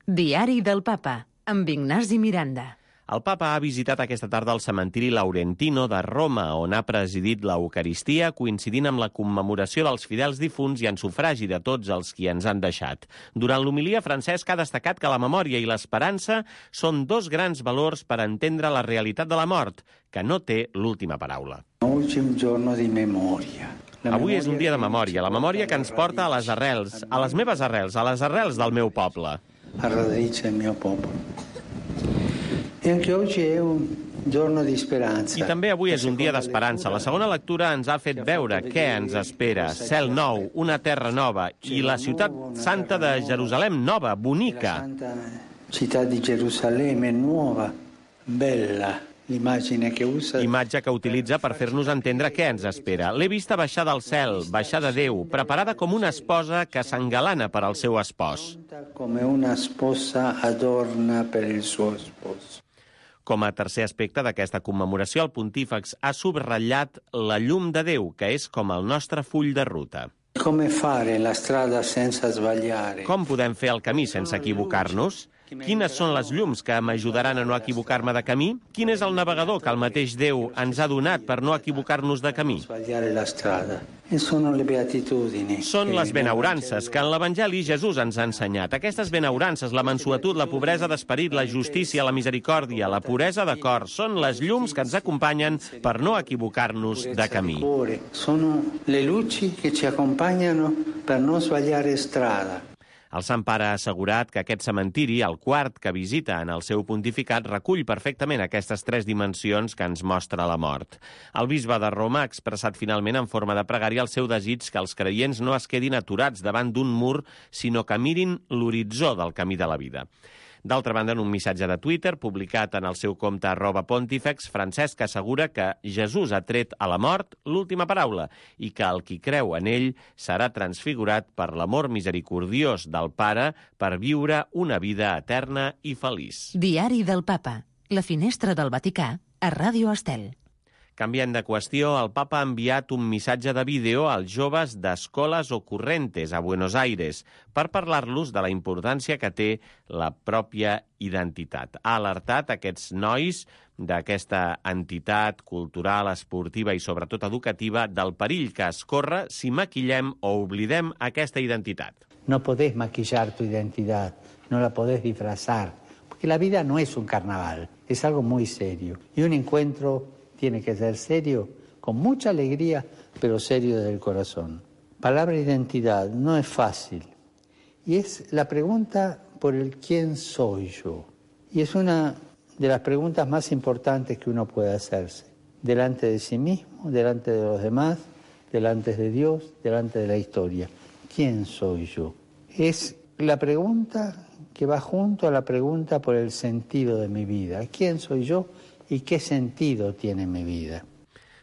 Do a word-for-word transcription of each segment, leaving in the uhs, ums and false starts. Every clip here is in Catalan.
Diari del Papa, amb Ignasi Miranda. El papa ha visitat aquesta tarda el cementiri Laurentino de Roma, on ha presidit l'Eucaristia, coincidint amb la commemoració dels fidels difunts i en sufragi de tots els qui ens han deixat. Durant l'homilia, Francesc ha destacat que la memòria i l'esperança són dos grans valors per entendre la realitat de la mort, que no té l'última paraula. Oggi è un giorno di memoria. Avui és un dia de memòria, la memòria que ens porta a les arrels, a les meves arrels, a les arrels del meu poble. A radice del mio popolo. E anche oggi è un giorno di speranza. I també avui és un dia d'esperança. La segona lectura ens ha fet veure què ens espera. Cel nou, una terra nova i la ciutat santa de Jerusalem nova, bonica. La santa città di Gerusalemme nuova, bella. L'immagine que usa... Imatge que utilitza per fer-nos entendre què ens espera. L'he vista baixar del cel, baixar de Déu, preparada com una esposa que s'engalana per al seu espòs. Com una esposa adorna per el suo sposo. Com a tercer aspecte d'aquesta commemoració, el pontífex ha subratllat la llum de Déu, que és com el nostre full de ruta. Com fare la strada senza sbagliare? Com podem fer el camí sense equivocar-nos? Quines són les llums que m'ajudaran a no equivocar-me de camí? Quin és el navegador que el mateix Déu ens ha donat per no equivocar-nos de camí? Són les benaurances que en l'Evangeli Jesús ens ha ensenyat. Aquestes benaurances, la mansuetud, la pobresa d'esperit, la justícia, la misericòrdia, la puresa de cor, són les llums que ens acompanyen per no equivocar-nos de camí. Sono le luci che ci accompagnano per non sbagliare strada. El Sant Pare ha assegurat que aquest cementiri, el quart que visita en el seu pontificat, recull perfectament aquestes tres dimensions que ens mostra la mort. El bisbe de Roma ha expressat finalment en forma de pregària el seu desig que els creients no es quedin aturats davant d'un mur, sinó que mirin l'horitzó del camí de la vida. D'altra banda, en un missatge de Twitter publicat en el seu compte arroba pontífex, Francesc assegura que Jesús ha tret a la mort l'última paraula i que el qui creu en ell serà transfigurat per l'amor misericordiós del Pare per viure una vida eterna i feliç. Diari del Papa, la finestra del Vaticà, a Ràdio Estel. Canviant de qüestió, el papa ha enviat un missatge de vídeo als joves d'Escoles Ocorrentes a Buenos Aires per parlar-los de la importància que té la pròpia identitat. Ha alertat aquests nois d'aquesta entitat cultural, esportiva i sobretot educativa del perill que es corre si maquillem o oblidem aquesta identitat. No podés maquillar tu identidad, no la podés disfrazar, porque la vida no es un carnaval, es algo muy serio. Y un encuentro tiene que ser serio, con mucha alegría, pero serio desde el corazón. Palabra identidad no es fácil. Y es la pregunta por el quién soy yo. Y es una de las preguntas más importantes que uno puede hacerse. Delante de sí mismo, delante de los demás, delante de Dios, delante de la historia. ¿Quién soy yo? Es la pregunta que va junto a la pregunta por el sentido de mi vida. ¿Quién soy yo? I què sentido tiene mi vida?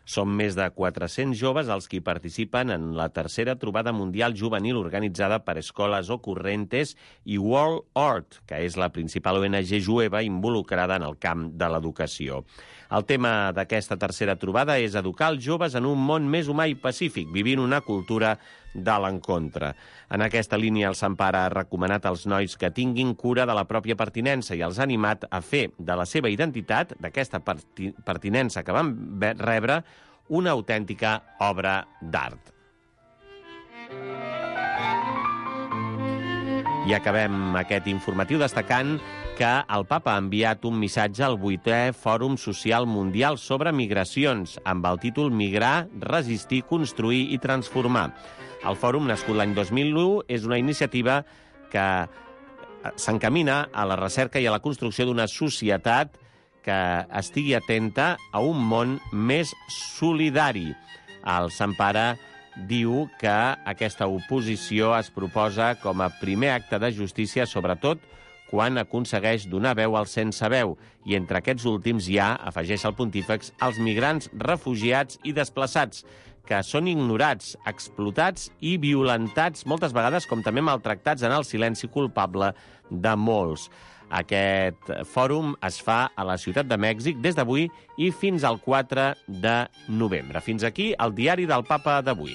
Són més de quatre-cents joves els qui participen en la tercera trobada mundial juvenil organitzada per Escoles Ocorrentes i World Art, que és la principal O N G jueva involucrada en el camp de l'educació. El tema d'aquesta tercera trobada és educar els joves en un món més humà i pacífic, vivint una cultura de l'encontre. En aquesta línia, el Sant Pare ha recomanat als nois que tinguin cura de la pròpia pertinença i els ha animat a fer de la seva identitat, d'aquesta pertinença que van rebre, una autèntica obra d'art. I acabem aquest informatiu destacant que el Papa ha enviat un missatge al vuitè Fòrum Social Mundial sobre Migracions, amb el títol Migrar, resistir, construir i transformar. El fòrum, nascut l'any dos mil u, és una iniciativa que s'encamina a la recerca i a la construcció d'una societat que estigui atenta a un món més solidari. El Sant Pare diu que aquesta oposició es proposa com a primer acte de justícia, sobretot quan aconsegueix donar veu als sense veu. I entre aquests últims hi ha, afegeix el pontífex, els migrants, refugiats i desplaçats, que són ignorats, explotats i violentats, moltes vegades com també maltractats en el silenci culpable de molts. Aquest fòrum es fa a la Ciutat de Mèxic des d'avui i fins al quatre de novembre. Fins aquí el diari del Papa d'avui.